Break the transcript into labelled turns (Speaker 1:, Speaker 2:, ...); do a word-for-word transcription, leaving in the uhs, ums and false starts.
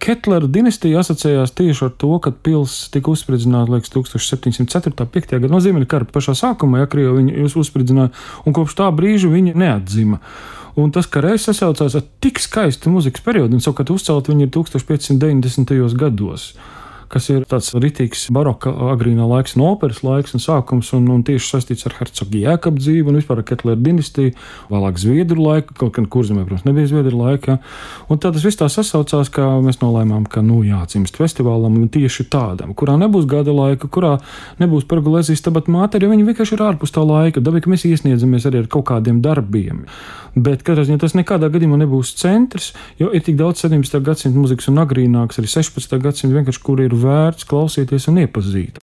Speaker 1: Ketlera dinastija asociējās tieši ar to, kad pils tika uzspridzināta, liekas, tūkstoš septiņsimt ceturtajā. piektajā gadā no Ziemeļa kara pašā sākumā, ja Krievi viņu uzspridzināja, un kopš tā brīža viņa neatzima. Un tas, ka reiz sasaucās ar tik skaistu muzikas periodu, un savukārt uzcelt viņu ir tūkstoš piecsimt deviņdesmitajos gados, kas ir tāds ritīgs baroka agrīnā laiks un operas laiks un sākums, un, un tieši saistīts ar hercogu Jēkabu dzīvi un vispār ar Ketlera dinastiju, vēlāk Zviedru laiku, kaut gan Kurzemē, protams, nebija Zviedru laika. Ja? Un tā tas viss tā sasaucās, ka mēs nolēmām, ka nu jāatsimst festivālam tieši tādam, kurā nebūs gada laika, kurā nebūs Pergolēzijas Stabat Mater, jo viņi vienkārši ir ārpus tā laika. Dabīgi, ka mēs iesniedzamies arī ar kaut kādiem darbiem. Bet katrā ziņā tas nekādā gadījumā nebūs centrs, jo ir tik daudz sedemdesmitā gadsimta muzikas un agrīnāks, arī sešpadsmitā gadsimta vienkārši, kur ir vērts klausīties un iepazīt.